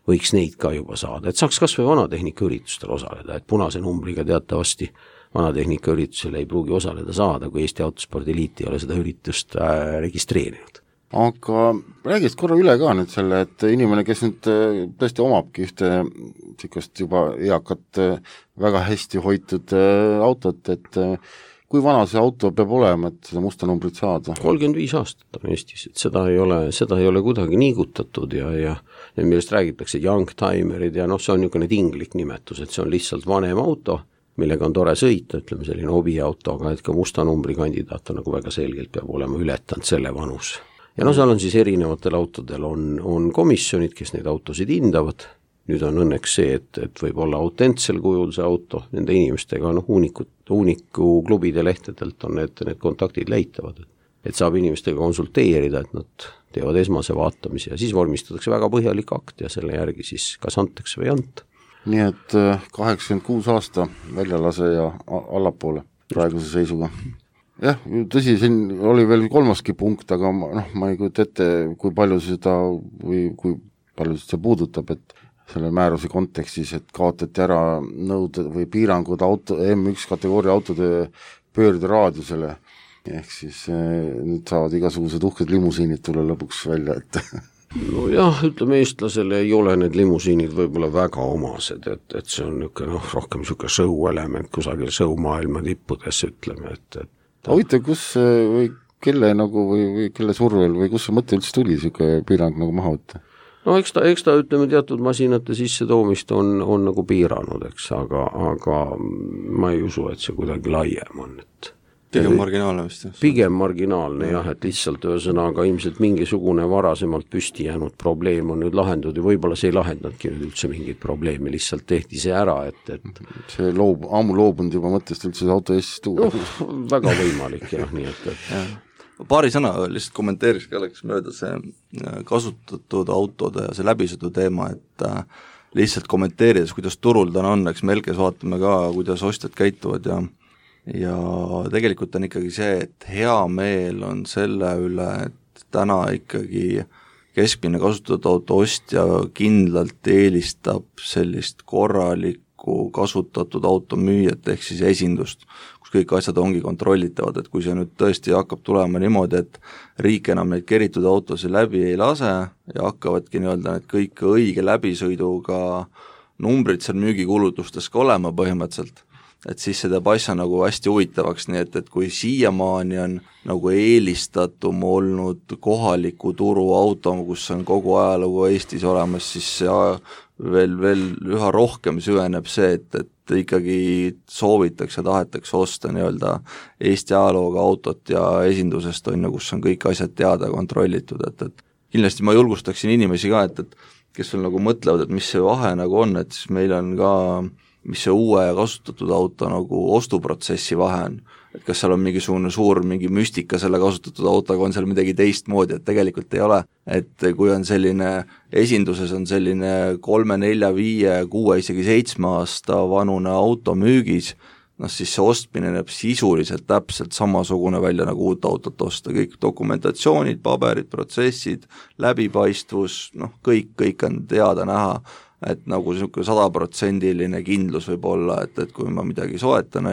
võiks neid ka juba saada, et saaks kas või vanatehnika üritustel osaleda, et punase numbriga teatavasti vanatehnika üritusel ei pruugi osaleda saada, kui Eesti Autospordi Liit ei ole seda üritust registreerinud. Aga räägis korra üle ka nüüd selle, et inimene, kes nüüd tõesti omabki ühte sikust juba eakat väga hästi hoitud autot, et kui vana see auto peab olema, et seda musta numbrit saada? 35 aastat on Eestis, et seda ei ole kuidagi niigutatud ja millest räägitakse youngtimerid ja see on niisugune tinglik nimetus, et see on lihtsalt vanem auto, millega on tore sõita, ütleme selline hobiauto, aga et ka musta numbri kandidaat on nagu väga selgelt peab olema ületanud selle vanus. Ja seal on siis erinevatel autodel on komisjonid, kes neid autosid hindavad. Nüüd on õnneks see, et võib olla autentsel kujul see auto, nende inimestega Uuniku klubide lehtedelt on need kontaktid leitavad. Et saab inimestega konsulteerida, et nad teevad esmase vaatamise ja siis vormistatakse väga põhjalik akt ja selle järgi siis kas antakse või anta. Nii et 86 aasta väljalase ja allapoole praeguse seisuga. Jah, tõsi, siin oli veel kolmaski punkt, aga ma ei kujuta ette, kui palju seda või kui palju see puudutab, et selle määruse kontekstis, et kaotati ära nõuded või piirangud M1 kategooria autode pöörderaadiusele, ehk siis nüüd saavad igasugused uhked limusiinid tulla lõpuks välja, et Nojah, ütleme eestlasele ei ole need limusiinid võib-olla väga omased, et see on rohkem niisugune show-element kusagil show-maailma tippudes, ütleme, et huvitav, kus või kelle või kelle survel või kus see mõte üldse tuli, niisugune piirang nagu maha võtta? Eks ta ütleme teatud masinate sisse toomist on nagu piiranud, eks, aga ma ei usu, et see kuidagi laiem on, et pigem marginaalne vist. Pigem marginaalne jah, et lihtsalt ühesõnaga ilmselt mingisugune varasemalt püsti jäänud probleem on nüüd lahendud ja võib-olla see ei lahendadki nüüd üldse mingit probleemi, lihtsalt tehti see ära, et see ammu loobunud juba mõttest üldse see auto Eestis tuua. Väga võimalik jah, nii et paari sõna lihtsalt kommenteeriks ka, läks mööda see kasutatud autode ja see läbisõidu teema, et lihtsalt kommenteerides, kuidas turul täna on, eks me Elkes vaatame ka, kuidas ostjad käituvad ja tegelikult on ikkagi see, et hea meel on selle üle, et täna ikkagi keskmine kasutatud auto ostja kindlalt eelistab sellist korralikku kasutatud auto müüjat ehk siis esindust, kus kõik asjad ongi kontrollitavad, et kui see nüüd tõesti hakkab tulema niimoodi, et riik enam neid keritud autosid läbi ei lase ja hakkavadki nii-öelda need kõik õige läbisõiduga numbrid seal müügikuulutustes ka olema põhimõtteliselt, et siis see teeb asja nagu hästi huvitavaks, nii et kui siiamaani on nagu eelistatum olnud kohaliku turu auto, kus on kogu ajalugu Eestis olemas, siis veel üha rohkem süveneb see, et ikkagi soovitakse, tahetakse osta nii-öelda Eesti ajalooga autot ja esindusest on, kus on kõik asjad teada kontrollitud, et kindlasti ma julgustaksin inimesi ka, et kes veel nagu mõtlevad, et mis see vahe nagu on, et siis meil on ka mis see uue ja kasutatud auto nagu ostuprotsessi vahe on, et kas seal on mingisugune suur mingi müstika selle kasutatud autoga, on seal midagi teistmoodi, et tegelikult ei ole, et kui on selline esinduses on selline 3, 4, 5, 6, isegi 7 aasta vanune auto müügis, siis see ostmine näeb sisuliselt täpselt samasugune välja nagu uut autot osta, kõik dokumentatsioonid, paberid, protsessid, läbipaistvus, kõik on teada näha, et nagu niisugune 100% kindlus võib olla, et kui ma midagi soetan,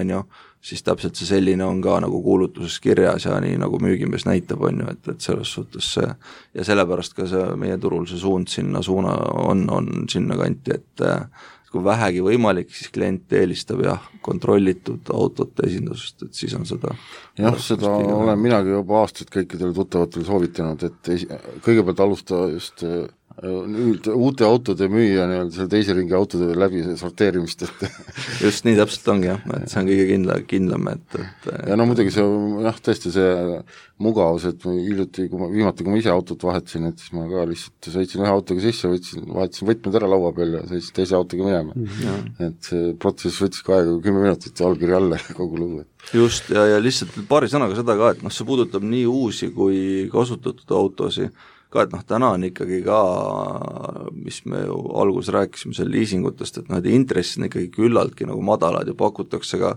siis täpselt see selline on ka nagu kuulutuses kirjas ja nii nagu müügimees näitab, et selles suhtes see ja sellepärast ka see meie turul see suund sinna on sinna kanti, et kui vähegi võimalik, siis klient eelistab kontrollitud autote esindusest, et siis on seda seda olen minagi juba aastaid kõikidele tuttavatele soovitanud, et kõigepealt alusta just uute autode müüa selle teise ringi autode läbi sorteerimist, et just nii täpselt ongi et see on kõige kindlam, et ja muidugi see tõesti see mugavus, et viimati, kui ma ise autot vahetasin, et siis ma ka lihtsalt sõitsin ühe autoga sisse, vahetasin võtmed ära laua peal ja sõitsin teise autoga minema, et see protsess võttis ka aega 10 minutit ja allkiri alla kogu lugu. Just, ja lihtsalt paari sõnaga seda ka, et see puudutab nii uusi kui kasutatud autosi, ka, et täna on ikkagi ka, mis me alguses rääkisime seal liisingutest, et intressid on ikkagi küllaltki nagu madalad ja pakutakse ka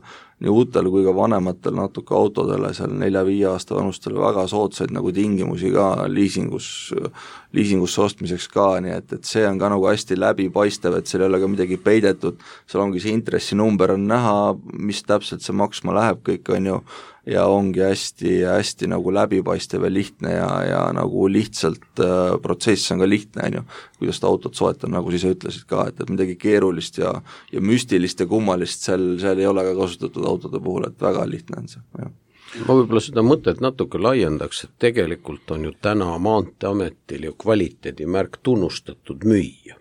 nii uutel kui ka vanematel natuke autodele seal 4-5 aasta vanustele väga soodsaid nagu tingimusi ka liisingusse ostmiseks ka, nii et see on ka nagu hästi läbipaistev, et seal ei ole ka midagi peidetud, seal ongi see intressinumber on näha, mis täpselt see maksma läheb, kõik on ju, ja ongi hästi nagu läbipaistev ja lihtne ja nagu lihtsalt protsess on ka lihtne, on ju, kuidas ta autot soetab, nagu siis ütlesid ka, et midagi keerulist ja müstilist ja kummalist seal ei ole ka kasutatud autode puhul, et väga lihtne on see, jah. Ma võib-olla seda mõtet natuke laiendaks, et tegelikult on ju täna Maanteeametil ju kvaliteedimärk tunnustatud müüja,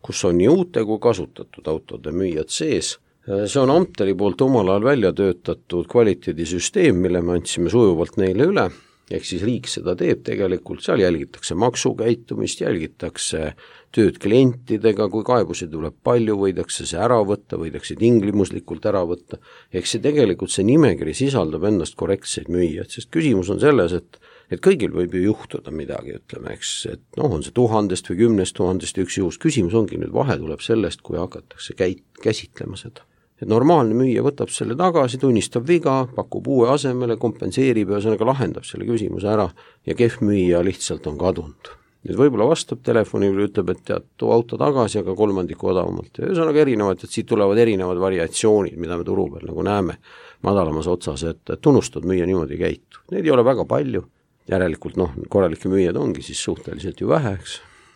kus on nii uute kui kasutatud autode müüjad sees. See on Amteri poolt omal ajal välja töötatud kvaliteedisüsteem, mille me andsime sujuvalt neile üle, ehk siis riik seda teeb tegelikult, seal jälgitakse maksukäitumist, jälgitakse tööd klientidega, kui kaebusi tuleb palju, võidakse see ära võtta, võidakse tinglimuslikult ära võtta, ehk see tegelikult see nimekiri sisaldab endast korrektseid müüjad, sest küsimus on selles, et kõigil võib ju juhtuda midagi, ütleme, eks, et on see 1000 või 10 000 üks juhus, küsimus ongi nüüd vahe tuleb sellest, kui hakatakse käsitlema seda. Et normaalne müüja võtab selle tagasi, tunnistab viga, pakub uue asemele, kompenseerib ja ühesõnaga lahendab selle küsimuse ära ja kehv müüja lihtsalt on kadunud. Nüüd võib-olla vastab telefoni või ütleb, et tead, too auto tagasi, aga 3% odavamalt. Ja ühesõnaga erinevad, et siit tulevad erinevad variatsioonid, mida me turu peal nagu näeme madalamas otsas, et tunnustad müüa niimoodi käitu. Neid ei ole väga palju, järelikult korralikke müüjad ongi siis suhteliselt ju vähe,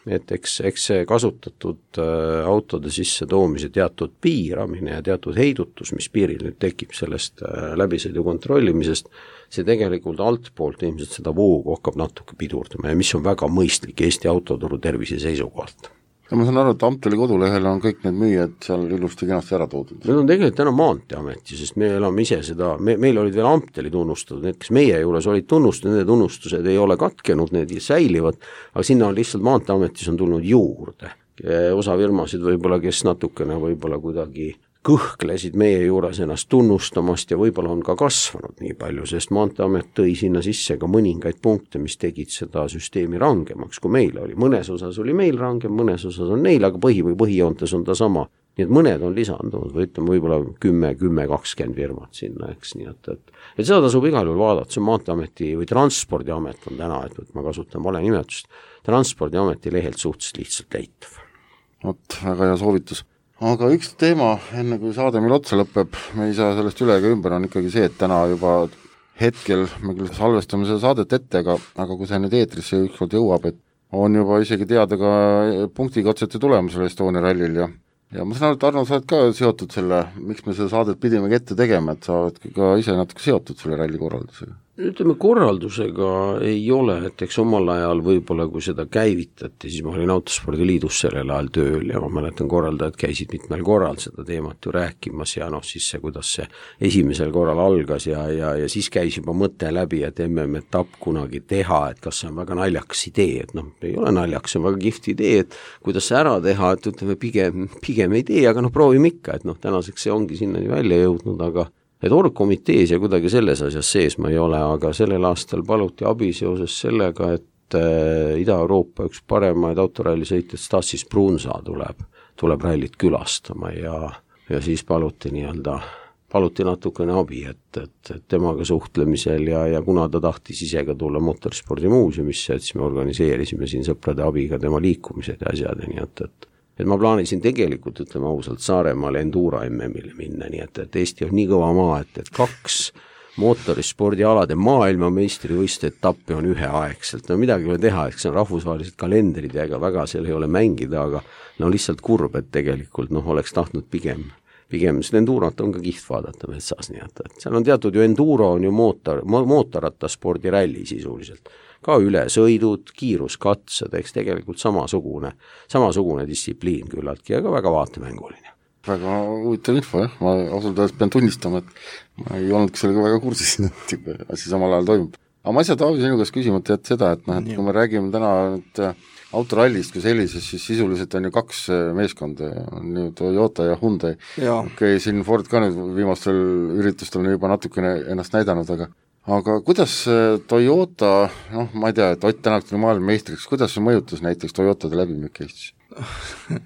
et eks see kasutatud autode sisse toomise teatud piiramine ja teatud heidutus, mis piiril nüüd tekib sellest läbisõidu kontrollimisest, see tegelikult altpoolt ilmselt seda voogu hakkab natuke pidurdama ja mis on väga mõistlik Eesti autoturu tervise seisukohalt. Ja ma saan aru, et Amteli kodulehel on kõik need müüjad seal ilusti kenasti ära toodud. Need on tegelikult täna Maanteeameti, sest me elame ise seda, meil olid veel Amteli tunnustatud, need, kes meie juures olid tunnustatud, need tunnustused ei ole katkenud, need säilivad, aga sinna on lihtsalt Maanteeametis on tulnud juurde. Osa firmasid võib-olla, kes natukene võib-olla kuidagi kõhklesid meie juures ennast tunnustamast ja võib-olla on ka kasvanud nii palju, sest Maanteeamet tõi sinna sisse ka mõningaid punkte, mis tegid seda süsteemi rangemaks, kui meil oli. Mõnes osas oli meil rangem, mõnes osas on neil, aga põhijoontes on ta sama. Nii et mõned on lisandunud või ütleme võib-olla 10-20 firmat sinna, eks nii, et seda tasub igal juhul vaadata, see on Maanteeameti või Transpordiamet on täna, et ma kasutan vale nimetust, Transpordiameti lehelt suhteliselt lihtsalt leitav. Väga hea soovitus. Aga üks teema, enne kui saade meil otsa lõpeb, me ei saa sellest üle ega ümber, on ikkagi see, et täna juba hetkel me küll salvestame seda saadet ette, aga kui see nüüd eetrisse ükskord jõuab, et on juba isegi teada ka punktikatsete tulemusel Estonia rallil ja ma saan aru, et Arno, sa oled ka seotud selle, miks me seda saadet pidime ette tegema, et sa oled ka ise natuke seotud selle ralli korraldusega? Ütleme, korraldusega ei ole, et eks omal ajal võib-olla, kui seda käivitati, siis ma olin Autospordiliidus sellel ajal tööl ja ma mäletan, korraldajad käisid mitmel korral seda teemat ju rääkimas ja siis see, kuidas see esimesel korral algas ja siis käis juba mõte läbi, et MM-etapp kunagi teha, et kas see on väga naljakas idee, et ei ole naljakas, see on väga kihvt idee, et kuidas see ära teha, et ütleme pigem ei tee, aga proovime ikka, et tänaseks see ongi sinna välja jõudnud, aga et orgkomitees ja kuidagi selles asjas sees ma ei ole, aga sellel aastal paluti abi seoses sellega, et Ida-Euroopa üks paremaid autorallisõitjad Stassis Brunsa tuleb rallit külastama ja siis paluti natukene abi, et temaga suhtlemisel ja kuna ta tahtis ise ka tulla motorspordimuuseumisse, et siis me organiseerisime siin sõprade abiga tema liikumised ja asjad ja nii, et ma plaanisin tegelikult, ütleme ausalt, Saaremaale Endura MM-ile minna, nii et Eesti on nii kõva maa, et 2 mootorispordialade maailmameistrivõistluste etappi on üheaegselt, midagi ei ole teha, eks see on rahvusvahelised kalendrid ja ega väga seal ei ole mängida, aga lihtsalt kurb, et tegelikult oleks tahtnud pigem seda Endurat on ka kiht vaadata metsas, nii et seal on teatud ju Enduro on ju mootorrattaspordi ralli sisuliselt. Ka ülesõidud, kiiruskatsed, eks tegelikult samasugune distsipliin küllaltki ja ka väga vaatemänguline. Väga huvitav info, jah, ma ausalt öeldes pean tunnistama, et ma ei olnudki sellega väga kursis, et asi samal ajal toimub. Aga ma asja Taavi sinu käest küsimata jätta seda, et kui me räägime täna autorallist kui sellises, siis sisuliselt on ju 2 meeskonda, on ju Toyota ja Hyundai. Okei, siin Ford ka nüüd viimastel üritustel on juba natukene ennast näidanud, aga kuidas Toyota, ma ei tea, et Ott Tänak tuli maailmameistriks, kuidas see mõjutas näiteks Toyotade läbimüük Eestis? $1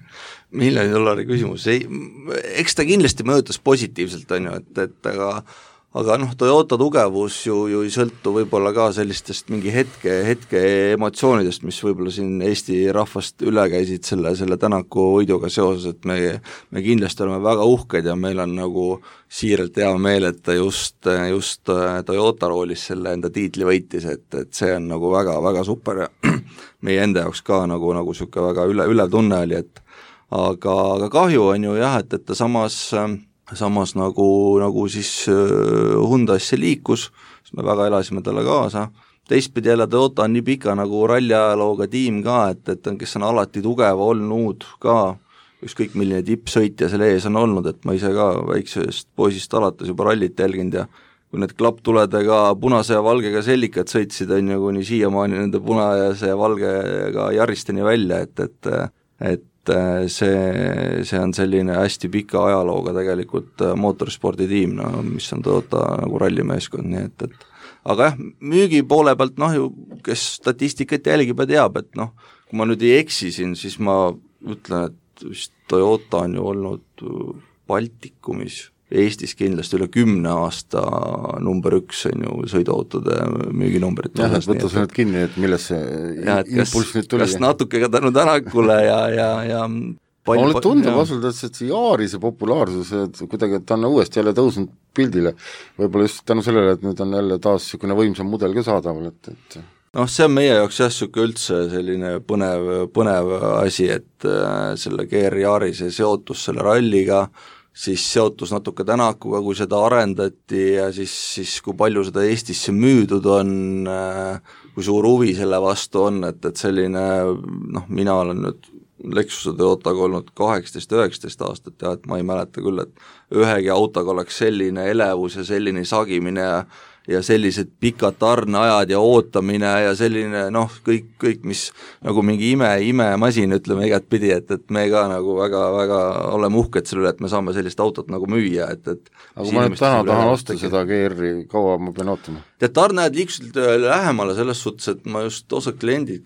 million küsimus, eks ta kindlasti mõjutas positiivselt, on ju, et aga Toyota tugevus ju ei sõltu võib-olla ka sellistest mingi hetke emotsioonidest, mis võib-olla siin Eesti rahvast üle käisid selle Tänaku võiduga seoses, et me kindlasti oleme väga uhked ja meil on nagu siiralt hea meel, et ta just Toyota roolis selle enda tiitli võitis, et see on nagu väga-väga super ja meie enda jaoks ka nagu niisugune väga ülev tunne oli, et aga kahju on ju jah, et ta samas nagu siis Hyundai'sse liikus, siis me väga elasime talle kaasa, teistpidi jälle Toyota on nii pika nagu ralliajalooga tiim ka, et kes on alati tugev olnud ka, ükskõik milline tippsõitja selle ees on olnud, et ma ise ka väiksest poisist alates juba rallit jälginud ja kui need klapptuledega punase ja valgega sellikad sõitsid, on ju kuni siiamaani nende punase ja valgega jaristeni välja, et see on selline hästi pika ajalooga tegelikult mootorsporditiim, mis on Toyota nagu rallimeeskond, nii et aga jah, müügi poole pealt ju, kes statistikat jälgib ja teab, et kui ma nüüd ei eksi siin, siis ma ütlen, et vist Toyota on ju olnud Baltikumis Eestis kindlasti üle 10 aasta number 1 on ju sõiduautode müüginumbrid. Jah, et võtta see nüüd kinni, et milles see impulss nüüd tuli. Kas natuke ka tänu Tänakule ja mulle tundub ausalt, et see Yarise populaarsus, et kuidagi, et ta on uuesti jälle tõusnud pildile, võib-olla just tänu sellele, et nüüd on jälle taas niisugune võimsam mudel ka saadaval, et see on meie jaoks jah, niisugune üldse selline põnev asi, et selle GR Yarise seotus selle ralliga, siis seotus natuke Tänakuga, kui seda arendati ja siis kui palju seda Eestisse müüdud on, kui suur huvi selle vastu on, et selline, mina olen nüüd Lexuse Toyotaga olnud 18-19 aastat ja et ma ei mäleta küll, et ühegi autoga oleks selline elevus ja selline sagimine ja sellised pikad tarneajad ja ootamine ja selline kõik, mis nagu mingi imemasin, ütleme igat pidi, et me ka nagu väga oleme uhked selle üle, et me saame sellist autot nagu müüa, et aga kui ma nüüd täna tahan osta seda GR-i, kaua ma pean ootama? Tarneajad liikusid lähemale selles suhtes, et ma just osad kliendid,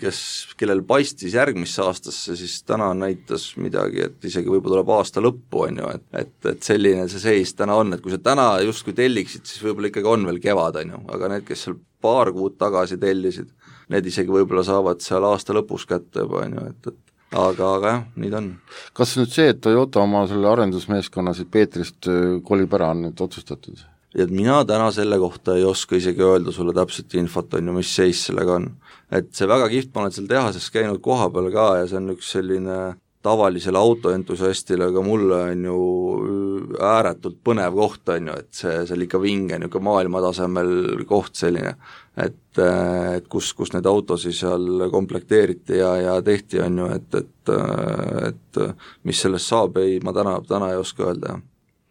kellel paistis järgmisse aastasse, siis täna näitas midagi, et isegi võib-olla tuleb aasta lõppu, on ju, et selline see seis täna on, et kui sa täna justkui telliksid, siis võib-olla ikkagi on veel kevad, on ju, aga need, kes seal paar kuud tagasi tellisid, need isegi võib-olla saavad seal aasta lõpus kätte juba, on ju, aga jah, nii ta on. Kas nüüd see, et Toyota oma selle arendusmeeskonna siit Peetrist kolib ära, on nüüd otsustatud? Et mina täna selle kohta ei oska isegi öelda sulle täpselt infot, on ju, mis seis sellega on. Et see väga kihvt, ma olen seal tehases käinud koha peal ka ja see on üks selline tavalisele autoentusiastile, aga mulle on ju ääretult põnev koht, on ju, et see on ikka vinge, niisugune maailmatasemel koht selline, et kus neid autosi seal komplekteeriti ja tehti, on ju, et mis sellest saab, ma täna ei oska öelda, jah.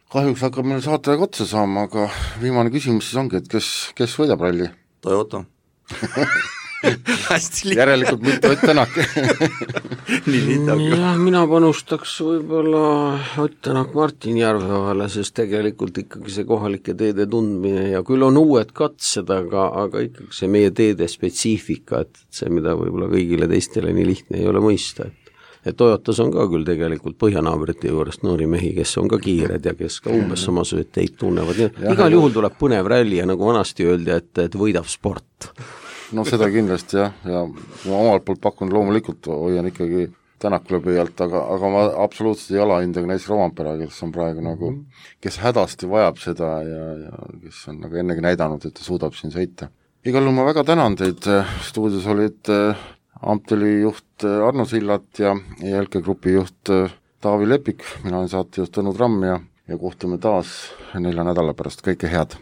Kahjuks hakkab meil saatega otsa saama, aga viimane küsimus siis ongi, et kes võidab ralli? Toyota. Järelikult mitte Ott Tänak. Jah, mina panustaks võib-olla Ott Tänak Martin Järveohale, sest tegelikult ikkagi see kohalike teede tundmine ja küll on uued katsed, aga ikkagi see meie teede spetsiifika, et see, mida võib-olla kõigile teistele nii lihtne ei ole mõista, et Toyotas on ka küll tegelikult põhjanaabrite juurest noori mehi, kes on ka kiired ja kes ka umbes samasugused teid tunnevad. Igal juhul tuleb põnev ralli ja nagu vanasti öeldi, et võidab sport. No seda kindlasti jah, ja ma omalt poolt pakun loomulikult, hoian ikkagi Tänakule pöialt, aga ma absoluutselt ei alahinda ka näiteks Rovampera, kes on praegu nagu, kes hädasti vajab seda ja kes on nagu ennegi näidanud, et ta suudab siin sõita. Igal juhul ma väga tänan teid, stuudios olid Amteli juht Arno Sillat ja ELK Grupi juht Taavi Lepik, mina olen saatejuht Tõnu Tramm ja kohtume taas 4 nädala pärast, kõike head!